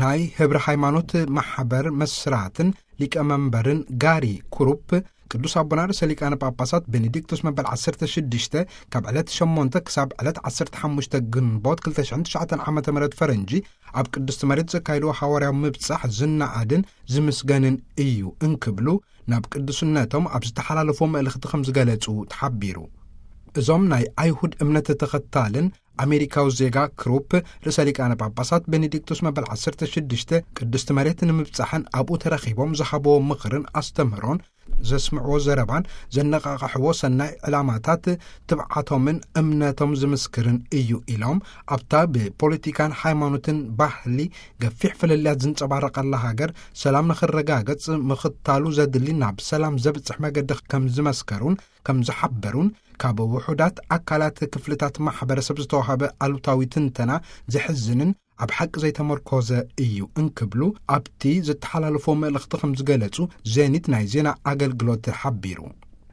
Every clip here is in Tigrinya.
ናይ ህብረ ሃይማኖት ማሕበር መስራትን ሊቀመንበርን ጋሪ ኩሩፕ፣ ቅዱስ ኣቦና ርእሰ ሊቃነ ጳጳሳት ቤኔዲክቶስ መበል ዓሰርተ ሽዱሽተ ካብ ዕለት ሸሞንተ ክሳብ ዕለት ዓሰርተ ሓሙሽተ ግንቦት ክልተ ሽሕን ትሽዓተን ዓመተ ምህረት ፈረንጂ ኣብ ቅድስቲ መሬት ዘካይድዎ ሓዋርያዊ ምብጻሕ ዝነኣድን ዝምስገንን እዩ እንክብሉ፣ ናብ ቅዱስነቶም ኣብ ዝተሓላለፎ መልእኽቲ ከም ዝገለጹ ተሓቢሩ። እዞም ናይ ኣይሁድ እምነት ተኸታልን ኣሜሪካዊ ዜጋ ክሩፕ፣ ርእሰ ሊቃነ ጳጳሳት ቤኔዲክቶስ መበል ዓሰርተ ሽዱሽተ ቅድስቲ መሬት ንምብጻሕን ኣብኡ ተረኺቦም ዝሃብዎ ምኽርን ኣስተምህሮን፣ ዘስምዕዎ ዘረባን ዘነቓቕሕዎ ሰናይ ዕላማታት ትብዓቶምን እምነቶም ዝምስክርን እዩ ኢሎም፣ ኣብታ ብፖለቲካን ሃይማኖትን ባህሊ ገፊሕ ፍልልያት ዝንጸባረቐላ ሃገር ሰላም ንኽረጋገጽ ምኽታሉ ዘድሊ፣ ናብ ሰላም ዘብጽሕ መገዲ ከም ዝመስከሩን ከም ዝሓበሩን፣ ካብ ውሑዳት ኣካላት ክፍልታት ማሕበረሰብ ዝተዋሃበ ኣሉታዊ ትንተና ዘሕዝንን ኣብ ሓቂ ዘይተመርኮዘ እዩ እንክብሉ፣ ኣብቲ ዝተሓላለፎ መልእኽቲ ከም ዝገለጹ ዜኒት ናይ ዜና ኣገልግሎት ሓቢሩ።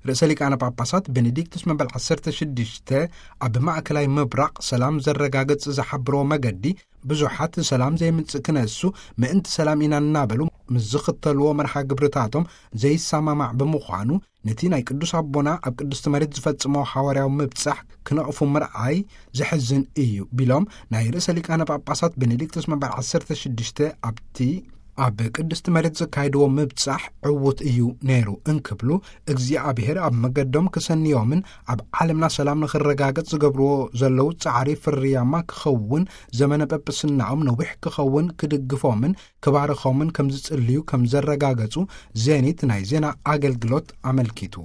ርእሰ ሊቃነ ጳጳሳት ቤኔዲክቱስ መበል ዓሰርተ ሽዱሽተ ኣብ ማእከላይ ምብራቕ ሰላም ዘረጋግጽ ዝሓብርዎ መገዲ፣ ብዙሓት ሰላም ዘይምጽእ ክነሱ ምእንቲ ሰላም ኢና እናበሉ ምስ ዝኽተልዎ መርሃ ግብርታቶም ዘይሰማማዕ ብምዃኑ፣ ነቲ ናይ ቅዱስ ኣቦና ኣብ ቅድስቲ መሬት ዝፈጽሞ ሓዋርያዊ ምብጻሕ ክነቕፉ ምርኣይ ዘሕዝን እዩ ቢሎም፣ ናይ ርእሰ ሊቃነ ጳጳሳት ቤኔዲክቱስ መበል ዓሰርተ ሽዱሽተ ኣብቲ ኣብ ቅድስቲ መሬት ዘካይድዎ ምብጻሕ ዕዉት እዩ ነይሩ እንክብሉ፣ እግዚኣብሔር ኣብ መገዶም ክሰንዮምን ኣብ ዓለምና ሰላም ንኽረጋገጽ ዝገብርዎ ዘለዉ ጻዕሪ ፍርያማ ክኸውን፣ ዘመነ ጳጳስናኦም ነዊሕ ክኸውን ክድግፎምን ክባርኾምን ከም ዝጽልዩ ከም ዘረጋገጹ ዜኒት ናይ ዜና ኣገልግሎት ኣመልኪቱ።